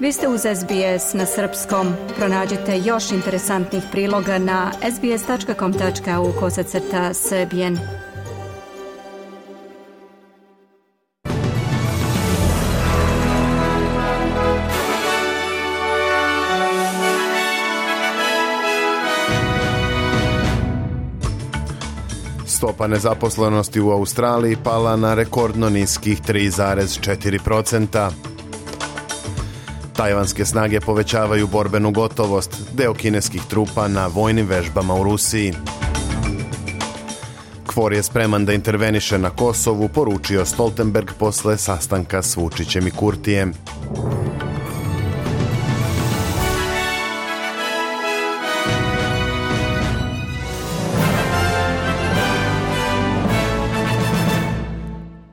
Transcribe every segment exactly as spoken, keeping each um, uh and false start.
Vi ste uz S B S na srpskom. Pronađite još interesantnih priloga na sbs tačka com tačka au kosacrta srbijen. Stopa nezaposlenosti u Australiji pala na rekordno niskih tri zarez četiri posto. Tajvanske snage povećavaju borbenu gotovost, deo kineskih trupa na vojnim vežbama u Rusiji. Kvor je spreman da interveniše na Kosovu, poručio Stoltenberg posle sastanka s Vučićem i Kurtijem.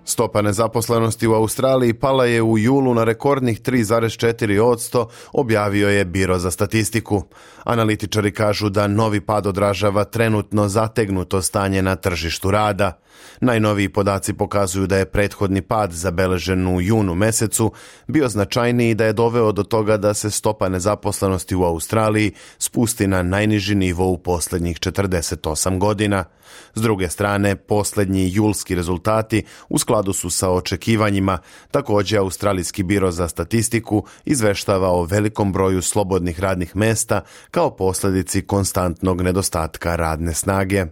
Stopa nezaposlenosti u Australiji pala je u julu na rekordnih tri zarez četiri posto, objavio je Biro za statistiku. Analitičari kažu da novi pad odražava trenutno zategnuto stanje na tržištu rada. Najnoviji podaci pokazuju da je prethodni pad zabeležen u junu mesecu bio značajniji i da je doveo do toga da se stopa nezaposlenosti u Australiji spusti na najniži nivo u posljednjih četrdeset osam godina. S druge strane, posljednji julski rezultati u skladu su sa očekivanjima. Također, Australijski biro za statistiku izveštava o velikom broju slobodnih radnih mesta kao posljedici konstantnog nedostatka radne snage.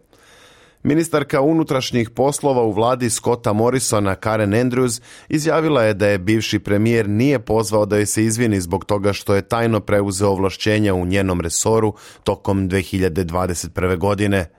Ministarka unutrašnjih poslova u vladi Scotta Morrisona, Karen Andrews, izjavila je da je bivši premijer nije pozvao da joj se izvini zbog toga što je tajno preuzeo ovlašćenja u njenom resoru tokom dve hiljade dvadeset prve. godine.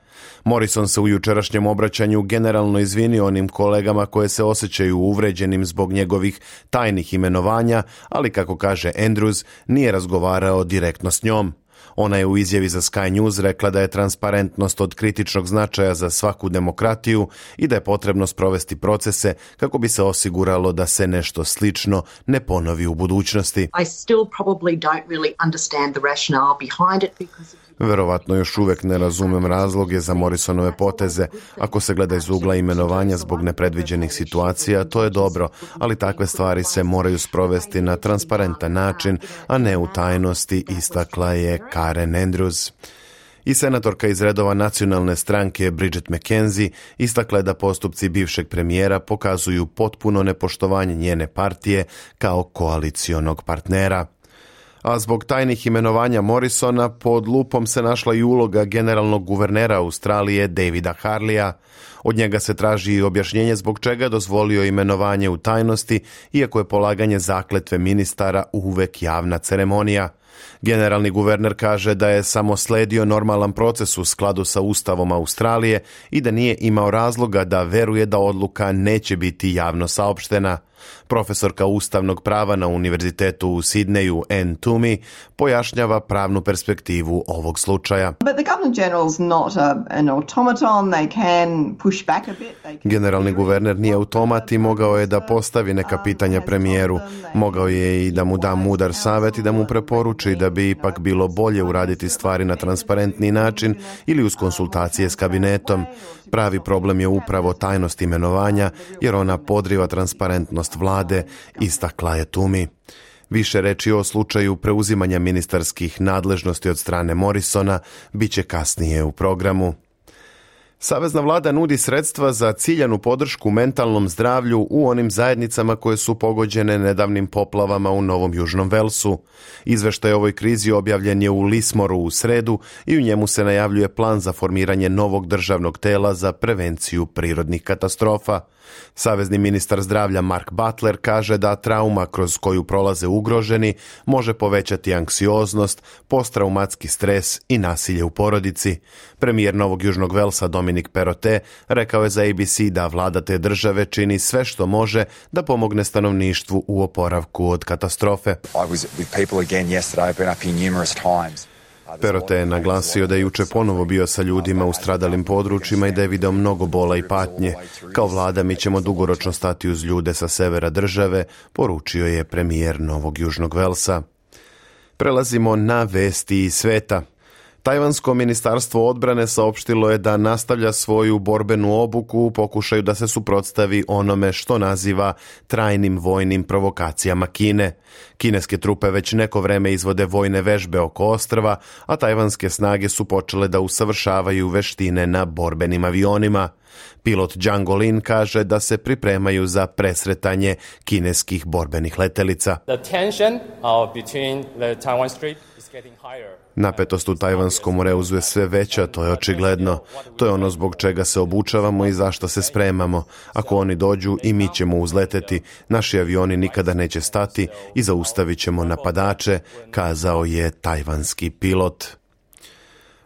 Morrison se u jučerašnjem obraćanju generalno izvinio onim kolegama koje se osjećaju uvređenim zbog njegovih tajnih imenovanja, ali kako kaže Andrews, nije razgovarao direktno s njom. Ona je u izjavi za Sky News rekla da je transparentnost od kritičnog značaja za svaku demokratiju i da je potrebno sprovesti procese kako bi se osiguralo da se nešto slično ne ponovi u budućnosti. I still probably don't really understand the rationale behind it because Verovatno još uvijek ne razumem razloge za Morrisonove poteze. Ako se gleda iz ugla imenovanja zbog nepredviđenih situacija, to je dobro, ali takve stvari se moraju sprovesti na transparentan način, a ne u tajnosti, istakla je Karen Andrews. I senatorka iz redova nacionalne stranke Bridget McKenzie istakla je da postupci bivšeg premijera pokazuju potpuno nepoštovanje njene partije kao koalicionog partnera. A zbog tajnih imenovanja Morrisona pod lupom se našla i uloga generalnog guvernera Australije Davida Harleya. Od njega se traži i objašnjenje zbog čega dozvolio imenovanje u tajnosti, iako je polaganje zakletve ministara uvek javna ceremonija. Generalni guverner kaže da je samo sledio normalan proces u skladu sa Ustavom Australije i da nije imao razloga da veruje da odluka neće biti javno saopštena. Profesorka ustavnog prava na Univerzitetu u Sidneju, Anne Toomey, pojašnjava pravnu perspektivu ovog slučaja. Generalni guverner nije automat i mogao je da postavi neka pitanja premijeru. Mogao je i da mu da mudar savjet i da mu preporuči da bi ipak bilo bolje uraditi stvari na transparentni način ili uz konsultacije s kabinetom. Pravi problem je upravo tajnost imenovanja, jer ona podriva transparentnost vlade, istakla je Toomey. Više reči o slučaju preuzimanja ministarskih nadležnosti od strane Morrisona biće kasnije u programu. Savezna vlada nudi sredstva za ciljanu podršku mentalnom zdravlju u onim zajednicama koje su pogođene nedavnim poplavama u Novom Južnom Velsu. Izveštaj o ovoj krizi objavljen je u Lismoru u sredu i u njemu se najavljuje plan za formiranje novog državnog tela za prevenciju prirodnih katastrofa. Savezni ministar zdravlja Mark Butler kaže da trauma kroz koju prolaze ugroženi može povećati anksioznost, posttraumatski stres i nasilje u porodici. Premijer Novog Južnog Velsa Dominic Perrottet rekao je za A B C da vlada te države čini sve što može da pomogne stanovništvu u oporavku od katastrofe. Perrottet je naglasio da je juče ponovo bio sa ljudima u stradalim područjima i da je video mnogo bola i patnje. Kao vlada mi ćemo dugoročno stati uz ljude sa severa države, poručio je premijer Novog Južnog Velsa. Prelazimo na vesti iz sveta. Tajvansko ministarstvo odbrane saopštilo je da nastavlja svoju borbenu obuku u pokušaju da se suprotstavi onome što naziva trajnim vojnim provokacijama Kine. Kineske trupe već neko vreme izvode vojne vežbe oko ostrva, a tajvanske snage su počele da usavršavaju veštine na borbenim avionima. Pilot Zhang Olin kaže da se pripremaju za presretanje kineskih borbenih letelica. Napetost u Tajvanskom moreuzu je sve veća, to je očigledno. To je ono zbog čega se obučavamo i zašto se spremamo. Ako oni dođu, i mi ćemo uzleteti. Naši avioni nikada neće stati i zaustavit ćemo napadače, kazao je tajvanski pilot.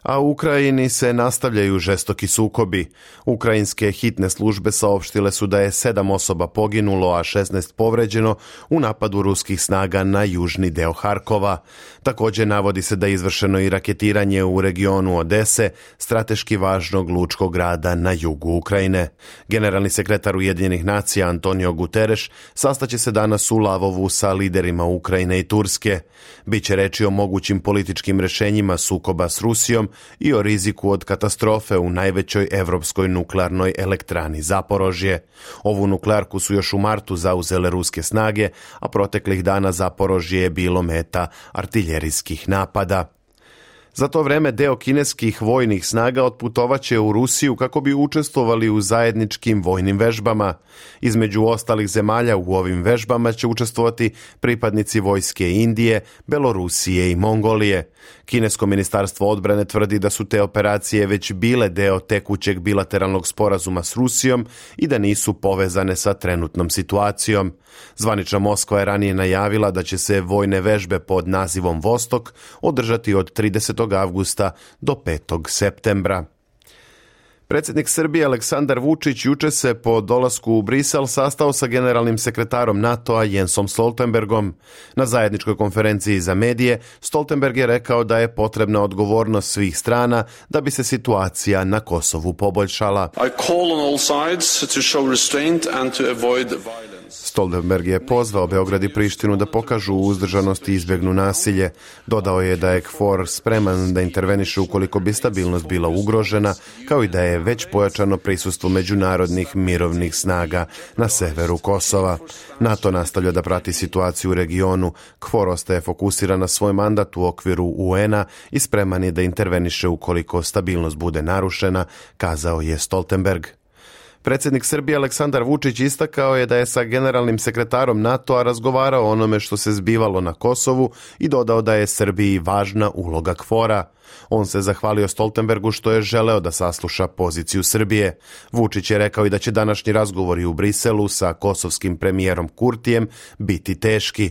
A u Ukrajini se nastavljaju žestoki sukobi. Ukrajinske hitne službe saopštile su da je sedam osoba poginulo, a šesnaest povređeno u napadu ruskih snaga na južni deo Harkova. Također navodi se da je izvršeno i raketiranje u regionu Odese, strateški važnog lučkog grada na jugu Ukrajine. Generalni sekretar Ujedinjenih nacija Antonio Guterres sastaće se danas u Lavovu sa liderima Ukrajine i Turske. Biće reči o mogućim političkim rješenjima sukoba s Rusijom i o riziku od katastrofe u najvećoj evropskoj nuklearnoj elektrani Zaporožje. Ovu nuklearku su još u martu zauzele ruske snage, a proteklih dana Zaporožje je bilo meta artiljerijskih napada. Za to vreme deo kineskih vojnih snaga otputovaće u Rusiju kako bi učestvovali u zajedničkim vojnim vežbama. Između ostalih zemalja u ovim vežbama će učestvovati pripadnici vojske Indije, Belorusije i Mongolije. Kinesko ministarstvo odbrane tvrdi da su te operacije već bile deo tekućeg bilateralnog sporazuma s Rusijom i da nisu povezane sa trenutnom situacijom. Zvanična Moskva je ranije najavila da će se vojne vežbe pod nazivom Vostok održati od tridesetog avgusta do petog septembra. Predsjednik Srbije Aleksandar Vučić juče se po dolasku u Brisel sastao sa generalnim sekretarom NATO-a Jensom Stoltenbergom. Na zajedničkoj konferenciji za medije Stoltenberg je rekao da je potrebna odgovornost svih strana da bi se situacija na Kosovu poboljšala. I call on all sides to show restraint and to avoid violence. Stoltenberg je pozvao Beograd i Prištinu da pokažu uzdržanost i izbjegnu nasilje. Dodao je da je K F O R spreman da interveniše ukoliko bi stabilnost bila ugrožena, kao i da je već pojačano prisustvo međunarodnih mirovnih snaga na severu Kosova. NATO nastavlja da prati situaciju u regionu. K F O R ostaje fokusiran na svoj mandat u okviru U N-a i spreman je da interveniše ukoliko stabilnost bude narušena, kazao je Stoltenberg. Predsjednik Srbije Aleksandar Vučić istakao je da je sa generalnim sekretarom NATO-a razgovarao o onome što se zbivalo na Kosovu i dodao da je Srbiji važna uloga K F O R-a. On se zahvalio Stoltenbergu što je želeo da sasluša poziciju Srbije. Vučić je rekao i da će današnji razgovori u Briselu sa kosovskim premijerom Kurtijem biti teški.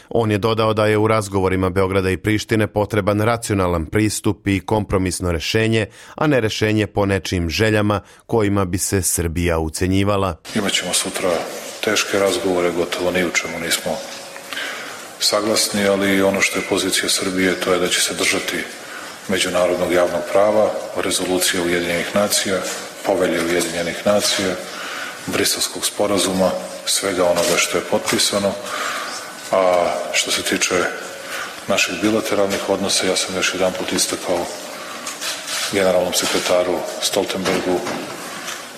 On je dodao da je u razgovorima Beograda i Prištine potreban racionalan pristup i kompromisno rešenje, a ne rešenje po nečijim željama kojima bi se Srbija ucenjivala. Imaćemo sutra teške razgovore, gotovo ni u čemu nismo saglasni, ali ono što je pozicija Srbije to je da će se držati međunarodnog javnog prava, rezolucije Ujedinjenih nacija, povelje Ujedinjenih nacija, Briselskog sporazuma, svega onoga što je potpisano. A što se tiče naših bilateralnih odnosa, ja sam još jedan put istakao generalnom sekretaru Stoltenbergu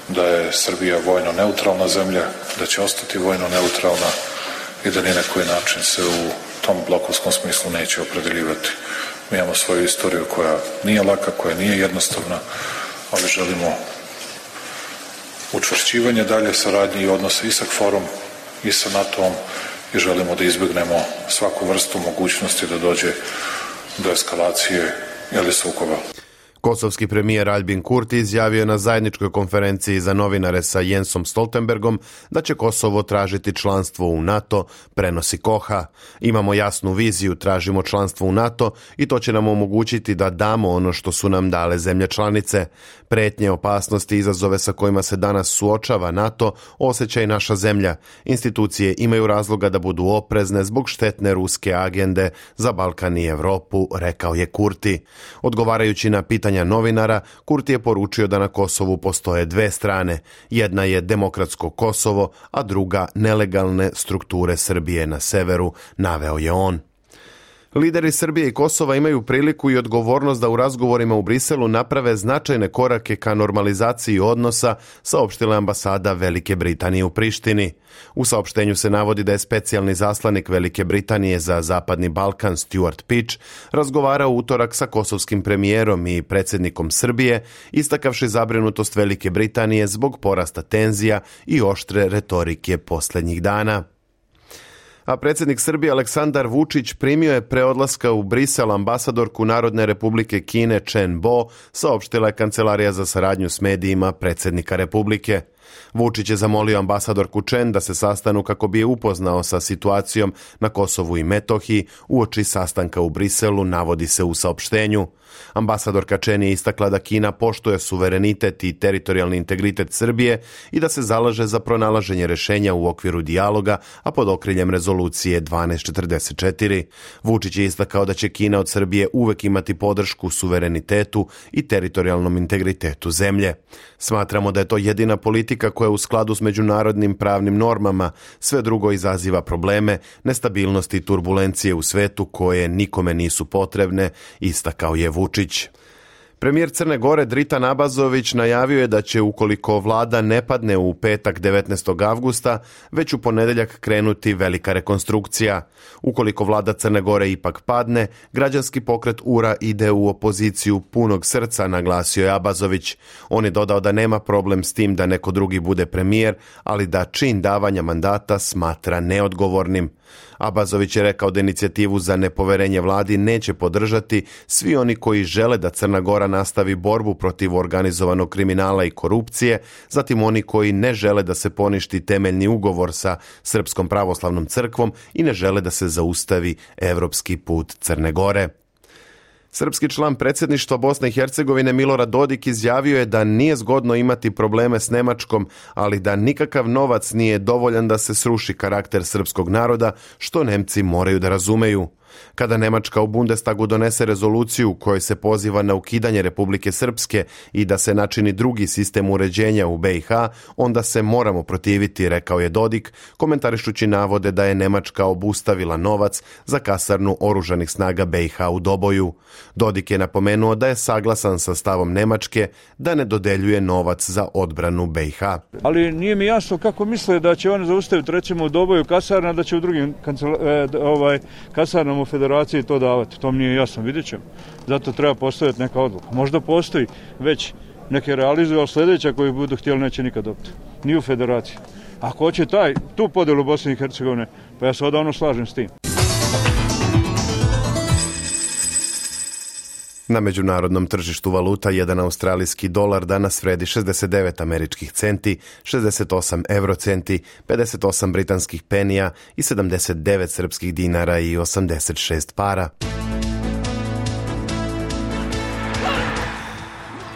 da je Srbija vojno neutralna zemlja, da će ostati vojno neutralna i da ni na koji način se u tom blokovskom smislu neće opredeljivati. Mi imamo svoju istoriju koja nije laka, koja nije jednostavna, ali želimo učvršćivanje dalje saradnje i odnose i sa K F O R-om i sa NATO-om i želimo da izbjegnemo svaku vrstu mogućnosti da dođe do eskalacije ili sukoba. Kosovski premijer Albin Kurti izjavio je na zajedničkoj konferenciji za novinare sa Jensom Stoltenbergom da će Kosovo tražiti članstvo u NATO, prenosi Koha. Imamo jasnu viziju, tražimo članstvo u NATO i to će nam omogućiti da damo ono što su nam dale zemlje članice. Pretnje, opasnosti i izazove sa kojima se danas suočava NATO osjeća i naša zemlja. Institucije imaju razloga da budu oprezne zbog štetne ruske agende za Balkan i Europu, rekao je Kurti. Odgovarajući na pitanja novinara, Kurti je poručio da na Kosovu postoje dve strane. Jedna je demokratsko Kosovo, a druga nelegalne strukture Srbije na severu, naveo je on. Lideri Srbije i Kosova imaju priliku i odgovornost da u razgovorima u Briselu naprave značajne korake ka normalizaciji odnosa, saopštila ambasada Velike Britanije u Prištini. U saopštenju se navodi da je specijalni zaslanik Velike Britanije za Zapadni Balkan Stuart Pitch razgovarao u utorak sa kosovskim premijerom i predsjednikom Srbije, istakavši zabrinutost Velike Britanije zbog porasta tenzija i oštre retorike posljednjih dana. A predsjednik Srbije Aleksandar Vučić primio je pre odlaska u Brisel ambasadorku Narodne republike Kine Chen Bo, saopštila je Kancelarija za saradnju s medijima predsjednika Republike. Vučić je zamolio ambasadorku Chen da se sastanu kako bi je upoznao sa situacijom na Kosovu i Metohiji uoči sastanka u Briselu, navodi se u saopštenju. Ambasadorka Chen je istakla da Kina poštuje suverenitet i teritorijalni integritet Srbije i da se zalaže za pronalaženje rješenja u okviru dijaloga, a pod okriljem rezolucije dvanaest četrdeset četiri. Vučić je istakao da će Kina od Srbije uvek imati podršku suverenitetu i teritorijalnom integritetu zemlje. Smatramo da je to jedina politika koja je u skladu s međunarodnim pravnim normama, sve drugo izaziva probleme, nestabilnost i turbulencije u svetu koje nikome nisu potrebne, istakao je Vučić. Premijer Crne Gore Dritan Abazović najavio je da će, ukoliko vlada ne padne u petak devetnaestog avgusta, već u ponedjeljak krenuti velika rekonstrukcija. Ukoliko vlada Crne Gore ipak padne, građanski pokret U R A ide u opoziciju punog srca, naglasio je Abazović. On je dodao da nema problem s tim da neko drugi bude premijer, ali da čin davanja mandata smatra neodgovornim. Abazović je rekao da inicijativu za nepoverenje vladi neće podržati svi oni koji žele da Crna Gora nastavi borbu protiv organizovanog kriminala i korupcije, zatim oni koji ne žele da se poništi temeljni ugovor sa Srpskom pravoslavnom crkvom i ne žele da se zaustavi evropski put Crne Gore. Srpski član predsjedništva Bosne i Hercegovine Milorad Dodik izjavio je da nije zgodno imati probleme s Nemačkom, ali da nikakav novac nije dovoljan da se sruši karakter srpskog naroda, što Nemci moraju da razumeju. Kada Nemačka u Bundestagu donese rezoluciju u kojoj se poziva na ukidanje Republike Srpske i da se načini drugi sistem uređenja u B i H, onda se moramo protiviti, rekao je Dodik, komentarišući navode da je Nemačka obustavila novac za kasarnu oružanih snaga B i H u Doboju. Dodik je napomenuo da je saglasan sa stavom Nemačke da ne dodeljuje novac za odbranu B i H. Ali nije mi jasno kako misle da će oni zaustaviti recimo u Doboju kasarna, da će u drugim kancela, eh, ovaj, kasarnama u federaciji to davati. To mi nije jasno, vidjet ćemo. Zato treba postaviti neka odluka. Možda postoji već neke realizuju, ali sljedeća koji budu htjeli neće nikad dobiti. Ni u federaciji. Ako hoće taj, tu podjelu Bosne i Hercegovine, pa ja se odavno slažem s tim. Na međunarodnom tržištu valuta jedan australijski dolar danas vredi šezdeset devet američkih centi, šezdeset osam eurocenti, pedeset osam britanskih penija i sedamdeset devet srpskih dinara i osamdeset šest para.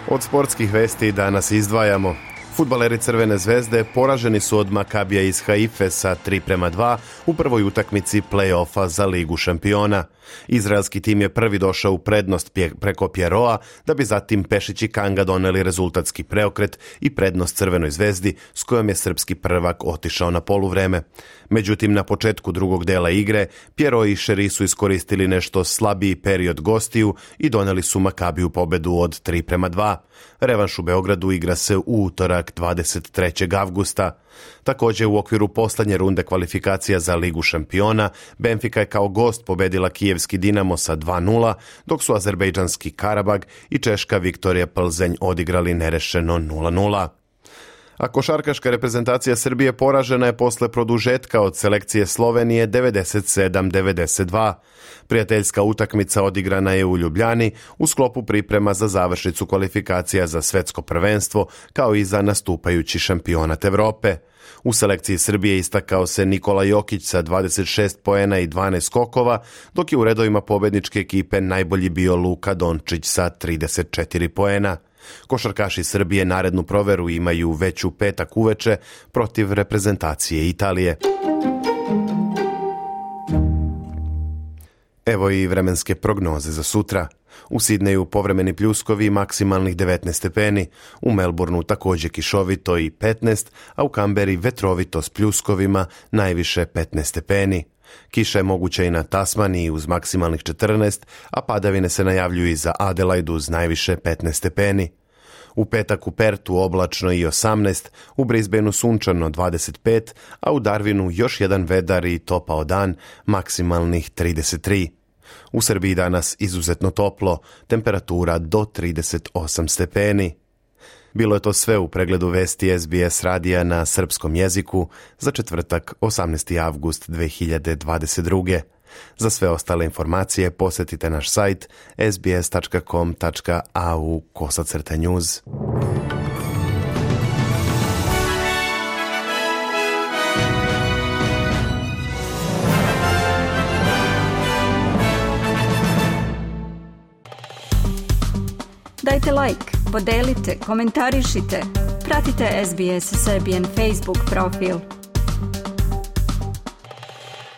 Od sportskih vesti danas izdvajamo. Fudbaleri Crvene zvezde poraženi su od Makabija iz Haife sa tri prema dva u prvoj utakmici play-offa za Ligu šampiona. Izraelski tim je prvi došao u prednost preko Pierroa, da bi zatim Pešić i Kanga doneli rezultatski preokret i prednost Crvenoj zvezdi, s kojom je srpski prvak otišao na poluvreme. Međutim, na početku drugog dela igre, Pierro i Šeri su iskoristili nešto slabiji period gostiju i doneli su Makabiju pobedu od tri prema dva. Revanš u Beogradu igra se u utorak dvadeset trećeg avgusta. Također u okviru posljednje runde kvalifikacija za Ligu šampiona, Benfica je kao gost pobedila kijevski Dinamo sa dva nula, dok su azerbejdžanski Karabag i češka Viktorija Plzenj odigrali nerešeno nula nula. A košarkaška reprezentacija Srbije poražena je posle produžetka od selekcije Slovenije devedeset sedam devedeset dva. Prijateljska utakmica odigrana je u Ljubljani u sklopu priprema za završnicu kvalifikacija za svetsko prvenstvo, kao i za nastupajući šampionat Evrope. U selekciji Srbije istakao se Nikola Jokić sa dvadeset šest poena i dvanaest skokova, dok je u redovima pobedničke ekipe najbolji bio Luka Dončić sa trideset četiri poena. Košarkaši Srbije narednu proveru imaju već u petak uveče protiv reprezentacije Italije. Evo i vremenske prognoze za sutra. U Sidneju povremeni pljuskovi maksimalnih devetnaest stepeni, u Melbourneu također kišovito i petnaest, a u Kamberi vetrovito s pljuskovima najviše petnaest stepeni. Kiša je moguća i na Tasmaniji uz maksimalnih četrnaest, a padavine se najavljuju i za Adelaide uz najviše petnaest stepeni. U petak u Pertu oblačno i osamnaest, u Brisbaneu sunčano dvadeset pet, a u Darwinu još jedan vedar i topao dan, maksimalnih trideset tri. U Srbiji danas izuzetno toplo, temperatura do trideset osam stepeni. Bilo je to sve u pregledu vesti S B S radija na srpskom jeziku za četvrtak osamnaesti avgust dve hiljade dvadeset druge. Za sve ostale informacije posjetite naš sajt s b s tačka com tačka a u kosacrta news. Dajte like, podelite, komentarišite, pratite S B S Serbian Facebook profil.